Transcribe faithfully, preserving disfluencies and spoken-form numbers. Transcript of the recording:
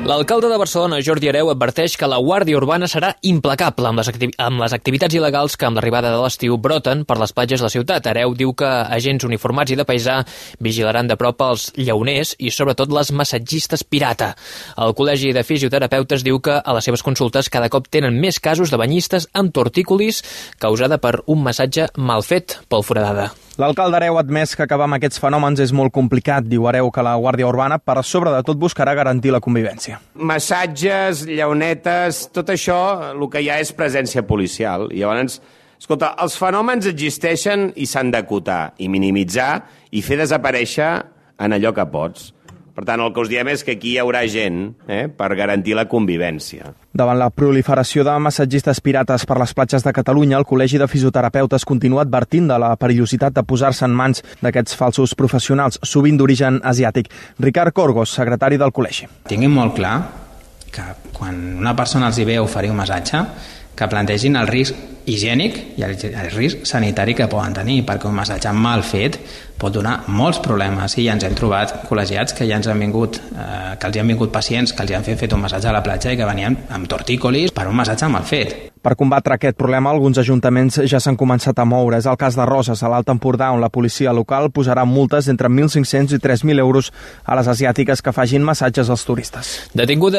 L'alcalde de Barcelona, Jordi Hereu, adverteix que la Guàrdia Urbana serà implacable amb les, activi amb les activitats il·legals que amb l'arribada de l'estiu broten per les platges de la ciutat. Hereu diu que agents uniformats i de paisà vigilaran de prop els llauners i sobretot les massatgistes pirata. El Col·legi de Fisioterapeutes diu que a les seves consultes cada cop tenen més casos de banyistes amb tortícolis causada per un massatge mal fet pel foradada. L'alcalde Hereu ha admès que acabar amb aquests fenòmens és molt complicat. Diu Hereu que la Guàrdia Urbana, per sobre de tot, buscarà garantir la convivència. Massatges, llaunetes, tot això, el que hi ha és presència policial. I llavors, escolta, els fenòmens existeixen i s'han d'acotar i minimitzar i fer desaparèixer en allò que pots. Per tant, el que us diem és que aquí hi haurà gent eh, per garantir la convivència. Davant la proliferació de massatgistes pirates per les platges de Catalunya, el Col·legi de Fisioterapeutes continua advertint de la perillositat de posar-se en mans d'aquests falsos professionals, sovint d'origen asiàtic. Ricard Corgos, secretari del col·legi. Tinguin molt clar que quan una persona els hi ve a oferir un massatge, que plantegin el risc higiènic i el, el risc sanitari que poden tenir, perquè un massatge mal fet pot donar molts problemes i ja ens hem trobat col·legiats que ja ens han vingut, eh, que els hi han vingut pacients que els hi han fet, fet un massatge a la platja i que venien amb tortícolis per un massatge mal fet. Per combatre aquest problema, alguns ajuntaments ja s'han començat a moure. És el cas de Roses, a l'Alt Empordà, on la policia local posarà multes entre mil cinc-cents i tres mil euros a les asiàtiques que facin massatges als turistes. Detinguda